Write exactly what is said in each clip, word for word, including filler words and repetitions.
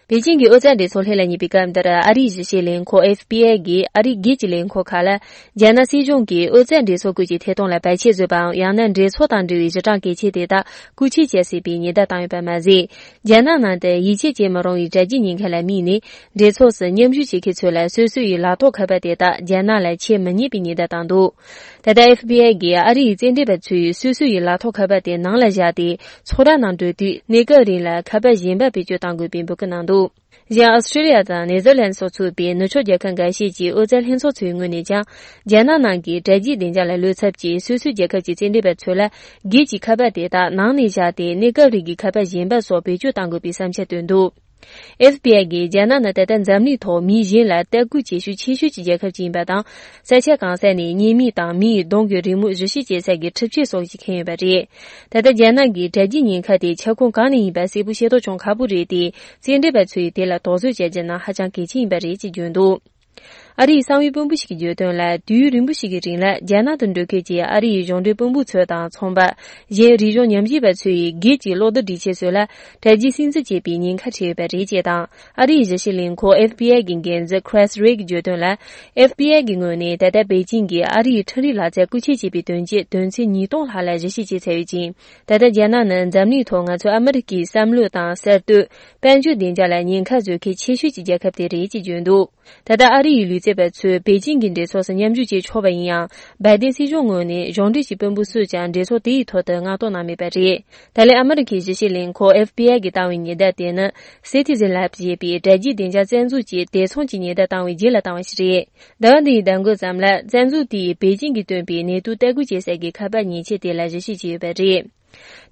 པེ་ཅིང་གི་ཨོ་རྩལ་འགྲན་ཚོགས་སླེབས་ལ་ཉེ་བའི་སྐབས་འདིར་ཨ་རིའི་ཞིབ་བཤེར་ལས་ཁུངས FBI གིས་ཨ་རིའི་སྒེར་གྱི་ལས་ཁུངས་ཁག་ལ་རྒྱ་ནག་སྲིད་གཞུང་གིས་ཨོ་རྩལ་འགྲན་ཚོགས་སྐོར་གྱི་ཐད་གཏོང་ལ་བར་ཆད་བཟོས་པའམ་ཡང་ན་འགྲན་ཚོགས་དང་འབྲེལ་བའི་གཞི་གྲངས་གལ་ཆེན་དེ་དག་རྐུ་འཁྱེར་བྱས་སྲིད་པའི་ཉེན་བརྡ་བཏང་ཡོད་པ་མ་ཟད། རྒྱ་ནག་ནང་དུ་ཡིད་ཆེས་བྱེད་མི་རུང་བའི་དྲ་རྒྱའི་ཉེན་ཁ་ལ་དམིགས་ནས་འགྲན་ཚོགས་སུ་མཉམ་ཞུགས་བྱེད་མཁན་ཚོ་ལ་སོ་སོ་ཡི་ལག་ཐོགས་ཁ་པར་དེ་དག་རྒྱ་ནག་ལ་འཁྱེར་མི་ཉན་པའི་ཉེན་བརྡ་བཏང་འདུག་ད་ལྟ FBI གིས་ཨ་རི་ཡི་རྩེད་འགྲན་པ་ཚོས་སོ་སོ་ཡི་ལག་ཐོགས་ཁ་པར་དེ་ནང་ལ་བཞག་སྟེ་ཚོགས་ར་ནང་འགྲོ་དུས་གནས་སྐབས་རིང་ལ་ཁ་པར་གཞན་པ་བེད་སྤྱོད་གཏང་དགོས་པའི་འབོད་སྐུལ་གནང་འདུག་གཞན་ཨོ་སི་ཀྲི་ལི་ཡ་དང་ནེ་ཟར་ལན་སོགས་ཚུད་པའི་ནུབ་ཕྱོགས་རྒྱལ་ཁབ་འགའ་ཤས་ཀྱི་ཨོ་རྩལ་ལྷན་ཚོགས་ཚོའི་ངོས་ནས་ཀྱང་རྒྱ་ནག་ནང་གི་དྲ་རྒྱའི་བདེ་འཇགས་ལ་བློ་འཚབ་ཀྱིས་སོ་སོའི་རྒྱལ་ཁབ་ཀྱི་རྩེད་འགྲན་པ་ཚོ་ལ་སྒེར་གྱི་ཁ་པར་དེ་དག་ནང་ནས་བཞག་སྟེ་གནས་སྐབས་རིང་གི་ཁ་པར་གཞན་པ་སོགས་བེད་སྤྱོད་གཏང་དགོས་པའི་བསམ་འཆར་བཏོན་འདུག FBI གིས་རྒྱ་ནག་ནི་ད་ལྟ་འཛམ་གླིང་ཐོག་མི་གཞན་ལ་ལྟ་སྐུལ་བྱེད་ཤུགས་ཆེ་ཤོས་ཀྱི་རྒྱལ་ཁབ་ཅིག་ཡིན་པ་དང་ས་ཆ་གང་ས་ནས་བརྙན་མིག་དང་མི་ཡི་གདོང་གི་རི་མོ་ཞིབ་བཤེར་བྱེད་ས་ཀྱི་འཕྲུལ་ཆས་སོགས་ཀྱིས་ཁེངས་ཡོད་པ་རེད། ད་ལྟ་རྒྱ་ནག་གི་དྲ་རྒྱའི་ཉེན་ཁ་དེ་ཁྱབ་ཁོངས་གང་ནས་ཡིན་པ་གསལ་པོ་ཤེས་རྟོགས་བྱུང་ཁག་པོ་རེད་དེ་རྩེད་འགྲན་པ་ཚོས་དེ་ལ་དོགས་ཟོན་བྱ་རྒྱུ་ནི་ཧ་ཅང་གལ་ཆེན་ཡིན་པ་རེད་ཅེས་བརྗོད་འདུག་ཨ་རིའི་གསང་བའི་དཔོན་པོ་ཞིག་གིས་བརྗོད་དོན་ལ་དུས་ཡུན་རིང་པོ་ཞིག་གི་རིང་ལ་རྒྱ་ནག་ཏུ་འགྲོ་མཁན་གྱི་ཨ་རི་ཡི་གཞུང་འབྲེལ་དཔོན་པོ་ཚོ་དང་ཚོང་པ། གཞན་རིག་གཞུང་ཉམས་ཞིབ་པ་ཚོ་ཡི་སྒེར་གྱི་གློག་རྡུལ་སྒྲིག་ཆས་སོགས་ལ་དྲ་རྒྱའི་སིམ་འཛུལ་བྱེད་པའི་ཉེན་ཁ་འཕྲད་ཡོད་པ་རེད་ཅེས་དང་ཨ་རི་ཡི་ཞིབ་བཤེར་ལས་ཁུངས FBI གི་འགན་འཛིན Chris Wray གིས་བརྗོད་དོན་ལ FBI གི་ངོས་ནས་ད་ལྟ་པེ་ཅིང་གིས་ཨ་རི་ཡི་འཕྲུལ་རིག་ལག་རྩལ་རྐུ་འཁྱེར་བྱས་པའི་དོན་རྐྱེན་དོན་ཚན་ཉིས་སྟོང་ལྷག་ལ་ཞིབ་བཤེར་བྱས་ཚར་ཡོད་ཅིང་ད་ལྟ་རྒྱ་ནག་ནི་འཛམ་གླིང་ཐོག་ང་ཚོ་ཨ་མི་རི་ཀའི་བསམ་བློ་དང་གསར་གཏོད། དཔལ་འབྱོར་བདེ་འཇགས་ལ་ཉེན་ཁ་བཟོ་མཁན་ཆེ་ཤོས་ཀྱི་རྒྱལ་ཁབ་དེ་རེད་ཅེས་བརྗོད་འདུག་ད་ལྟ་ཨ་རི་ཡི་ལུས་རྩལ་པ་ཚོས་པེ་ཅིང་གི་འགྲན་ཚོགས་སུ་མཉམ་ཞུགས་བྱེད་ཆོག་པ་ཡིན་ཡང་སྦའི་ཏན་སྲིད་གཞུང་ངོས་ནས་གཞུང་འབྲེལ་གྱི་དཔོན་པོ་སུས་ཀྱང་འགྲན་ཚོགས་དེའི་ཐོག་ཏུ་མངགས་གཏོང་གནང་མེད་པ་རེད། ད་ལན་ཨ་མི་རི་ཀའི་ཞིབ་བཤེར་ལས་ཁུངས FBI གིས་བཏང་བའི་ཉེན་བརྡ་དེ་ནི Citizen Lab ཞེས་པའི་དྲ་རྒྱའི་བདེ་འཇགས་རྩ་འཛུགས་ཀྱིས་དེ་མཚུངས་ཀྱི་ཉེན་བརྡ་བཏང་བའི་རྗེས་ལ་བཏང་བ་ཞིག་རེད། ཟླ་བ་འདིའི་ཟླ་མགོ་ཙམ་ལ་རྩ་འཛུགས་དེས་པེ་ཅིང་གིས་བཏོན་པའི་ནད་དུག་ལྟ་སྐུལ་བྱེད་ས་ཀྱི་ཁ་པར་མཉེན་ཆས་དེ་ལ་ཞིབ་བཤེར་བྱས་ཡོད་པ་རེད།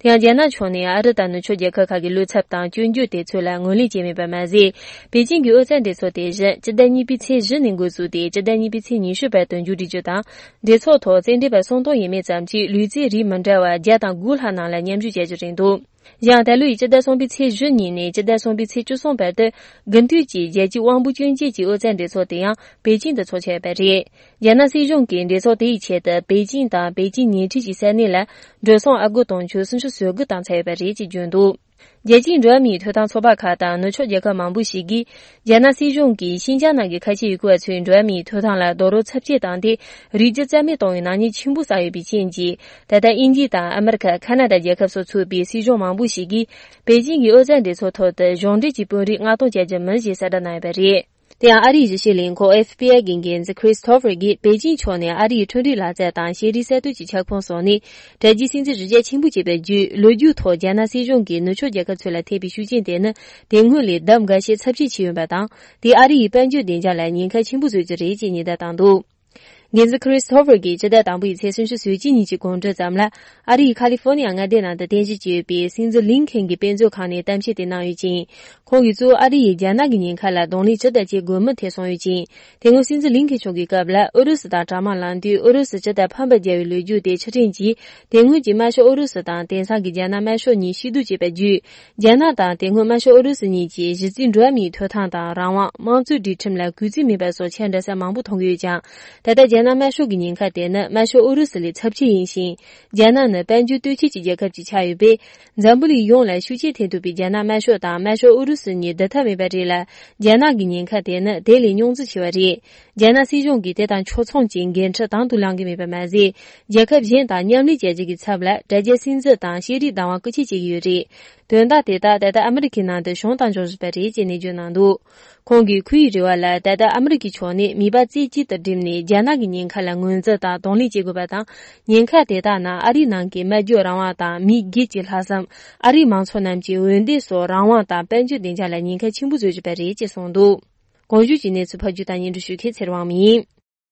དེ་ཡང་རྒྱ་ནག་ཕྱོགས་ནས་ཨ་རི་དང་ནུབ་ཕྱོགས་རྒྱལ་ཁབ་ཁག་གི་བློ་འཚབ་དང་སྐྱོན་བརྗོད་དེ་ཚོ་ལ་ངོས་ལེན་བྱས་མེད་པ་མ་ཟད། པེ་ཅིང་གི་ཨོ་རྩལ་འགྲན་ཚོགས་དེ་བཞིན་སྤྱི་ཟླ་གཉིས་པའི་ཚེས་བཞི་ནས་འགོ་བཙུགས་ཏེ་སྤྱི་ཟླ་གཉིས་པའི་ཚེས་ཉི་ཤུ་བར་དུ་མཇུག་སྒྲིལ་རྒྱུ་དང། འགྲན་ཚོགས་ཐོག་རྩེད་འགྲན་པ་སུམ་སྟོང་ཡས་མས་ཙམ་གྱིས་ལུས་རྩལ་རིགས་མི་འདྲ་བ་བརྒྱ་དང་དགུ་ལྷག་ནང་ལ་མཉམ་ཞུགས་བྱ་རྒྱུ་རེད་འདུག་གཞན་ཡང་ད་ལོའི་སྤྱི་ཟླ་གསུམ་པའི་ཚེས་བཞི་ཉིན་ནས་སྤྱི་ཟླ་གསུམ་པའི་ཚེས་བཅུ་གསུམ་བར་དུ་དགུན་དུས་ཀྱི་རྒྱལ་སྤྱིའི་དབང་པོ་སྐྱོན་ཅན་གྱི་ཨོ་རྩལ་འགྲན་ཚོགས་དེ་ཡང་པེ་ཅིང་དུ་འཚོགས་འཆར་ཡོད་པ་རེད། རྒྱ་ནག་སྲིད་གཞུང་གིས་འགྲན་ཚོགས་དེའི་ཆེད་དུ་པེ་ཅིང་དང་པེ་ཅིང་ཉེ་འཁྲིས་ཀྱི་ས་གནས་ལ་འགྲོ་སོང་ཨ་སྒོར་དུང་ཕྱུར་སུམ་ཅུ་སོ་དགུ་བཏང་ཚར་ཡོད་པ་རེད་ཅེས་བརྗོད་འདུག་རྒྱལ་སྤྱིའི་འགྲོ་བ་མིའི་ཐོབ་ཐང་ཚོགས་པ་ཁག་དང་ནུབ་ཕྱོགས་རྒྱལ་ཁབ་མང་པོ་ཞིག་གིས་རྒྱ་ནག་སྲིད་གཞུང་གིས་ཤིན་ཅང་ནང་གི་ཁ་ཆེ་ཡུ་གུར་བ་ཚོའི་འགྲོ་བ་མིའི་ཐོབ་ཐང་ལ་རྡོག་རོལ་ཚབས་ཆེ་བཏང་སྟེ་རིགས་རྒྱུད་རྩ་མེད་གཏོང་བའི་ནག་ཉེས་ཆེན་པོ་བསགས་ཡོད་པའི་རྐྱེན་གྱིས་ད་ལྟ་དབྱིན་ཇི་དང་ཨ་མི་རི་ཀ་ཁ་ན་ཌ་རྒྱལ་ཁབ་སོགས་ཚུད་པའི་སྲིད་གཞུང་མང་པོ་ཞིག་གིས་པེ་ཅིང་གི་ཨོ་རྩལ་འགྲན་ཚོགས་ཐོག་ཏུ་གཞུང་འབྲེལ་གྱི་དཔོན་རིགས་མངགས་གཏོང་བྱ་རྒྱུ་མིན་ཞེས་གསལ་བསྒྲགས་གནང་ཡོད་པ་རེད། དེ་ཡང་ཨ་རིའི་ཞིབ་བཤེར་ལས་ཁུངས FBI གི་འགན་འཛིན Christopher གྱིས་པེ་ཅིང་ཕྱོགས་ནས་ཨ་རིའི་འཕྲུལ་རིག་ལག་རྩལ་དང་ཤེས་རིག་གསར་གཏོད་ཀྱི་ཁྱབ་ཁོངས་སོགས་ནས་དྲ་རྒྱའི་སིམ་འཛུལ་གཞི་རྒྱ་ཆེན་པོ་བྱས་པ་བརྒྱུད་ལོ་རྒྱུས་ཐོག་རྒྱ་ནག་སྲིད་གཞུང་གིས་ནུབ་ཕྱོགས་རྒྱལ་ཁབ་ཚོ་ལ་ཐེབས་པའི་ཤུགས་རྐྱེན་དེ་ནི་དེ་སྔོན་ལས་ལྡབ་འགའ་ཤས་ཚབས་ཆེ་ཕྱིན་ཡོད་པ་དང་དེས་ཨ་རི་ཡི་དཔལ་འབྱོར་བདེ་འཇགས་ལ་ཉེན་ཁ་ཆེན་པོ་བཟོ་རྒྱུ་རེད་ཅེས་ཉེན་བརྡ་བཏང་འདུག། འགན་འཛིན Christopher གྱིས་སྤྱི་ཟླ་དང་པོའི་ཚེས་སུམ་ཅུ་སོ་གཅིག་ཉིན་གྱི་དགོང་དྲོ་ཙམ་ལ་ཨ་རིའི་ཁ་ལི་ཧྥོ་ནི་ཡ་མངའ་སྡེ་ནང་དུ་རྟེན་གཞི་བྱས་ཡོད་པའི་སྲིད་འཛིན་ལིན་ཁེན་གྱི་དཔེ་མཛོད་ཁང་ནས་གཏམ་བཤད་དེ་གནང་ཡོད་ཅིང། ཁོང་གིས་གཙོ་བོ་ཨ་རི་ཡིས་རྒྱ་ནག་གི་ཉེན་ཁ་ལ་གདོང་ལེན་ཇི་ལྟར་བྱེད་དགོས་མིན་ཐད་གསུངས་ཡོད་ཅིང། དེ་སྔོན་སྲིད་འཛིན་ལིན་ཁེན་མཆོག་གི་སྐབས་ལ་ཨུ་རུ་སུ་དང་གྲ་དམག་ལངས་དུས་ཨུ་རུ་སུ་ཇི་ལྟར་ཕམ་པར་རྒྱལ་བའི་ལོ་རྒྱུས་དེ་ཕྱིར་དྲན་གྱིས་དེ་སྔོན་གྱི་དམར་ཤོག་ཨུ་རུ་སུ་དང་དེང་སང་གི་རྒྱ་ནག་དམར་ཤོག་གཉིས་གཤིབ་བསྡུར་བྱས་པ་བརྒྱུད། རྒྱ་ནག་དང་དེ་སྔོན་དམར་ཤོག་ཨུ་རུ་སུ་གཉིས་ཀྱི་གཞི་རྩའི་འགྲོ་བ་མིའི་ཐོབ་ཐང་དང་རང་དབང་དམངས་གཙོའི་སྒྲིག་ཁྲིམས་ལ་གུས་བརྩི་མེད་པ་སོགས་ཆ་འདྲ་ས་མང་པོ་མཐོང་གི་ཡོད་ཀྱང། ད་ལྟ་རྒྱ་ནག་དམར་ཤོག་གི་ཉེན་ཁ་དེ་ནི་དམར་ཤོག་ཨུ་རུ་སུ་ལས་ཚབས་ཆེ་ཡིན་ཞིང། རྒྱ་ནག་ནི་དཔལ་འབྱོར་སྟོབས་ཆེན་གྱི་རྒྱལ་ཁབ་ཅིག་ཆགས་ཡོད་པས། འཛམ་བུ་གླིང་ཡོངས་ལ་ཤུགས་རྐྱེན་ཐེབས་ཐུབ་པའི་རྒྱ་ནག་དམར་ཤོག་དང་དམར་ཤོག་ཨུ་རུ་སུ་གཉིས་བསྡུར་ཐབས་མེད་པ་རེད་ལ། རྒྱ་ནག་གི་ཉེན་ཁ་དེ་ནི་དེ་ལས་རྙོག་འཛིང་ཆེ་བ་རེད། རྒྱ་ནག་སྲིད་གཞུང་གིས་དེ་དང་ཕྱོགས་མཚུངས་ཀྱི་འགན་འཁྲི་དང་དུ་བླང་གི་མེད་པ་མ་ཟད། རྒྱལ་ཁབ་གཞན་དང་མཉམ་ལས་བྱ་རྒྱུ་གི་ཚབ་ལ་དྲ་རྒྱའི་སིམ་འཛུལ་དང་ཤེས་རིག་བདག་དབང་རྐུ་འཁྱེར་བྱེད་ཀྱི་ཡོད་རེད། དོན་དག་དེ་དག་ད་ལྟ་ཨ་མི་རི་ཀའི་ནང་དུ་བྱུང་དང་འབྱུང་བཞིན་པ་རེད་ཅེས་ནན་བརྗོད་གནང་འདུག་ཁོང་གིས་ཁོ་ཡི་རེ་བ་ལ་ད་ལྟ་ཨ་མི་རི་ཀའི་ཕྱོགས་ནས་མིད་པ་རྩེ་གཅིག་ཏུ་བསྒྲིམས་ནས་རྒྱ་ནག་གི་ཉེན་ཁ་ལ་ངོས་འཛིན་དང་གདོང་ལེན་བྱེད་དགོས་པ་དང། ཉེན་ཁ་དེ་དག་ནང་ཨ་རིའི་ནང་གི་སྨྲ་བརྗོད་རང་དབང་དང་མི་སྒེར་གྱི་ལྷག་བསམ། ཨ་རིའི་མང་ཚོགས་རྣམས་ཀྱི་འོས་འདེམས་སོགས་རང་དབང་དང་དཔལ་འབྱོར་བདེ་འཇགས་ལ་ཉེན་ཁ་ཆེན་པོ་བཟོ་བཞིན་པ་རེད་ཅེས་གསུངས་འདུག་གོང་ཞུས་ཀྱི་གནས་ཚུལ་ཕབ་སྒྱུར་དང་སྙན་སྒྲོན་ཞུ་མཁན་ཚེ་རིང་དབང་མོ་ཡིན།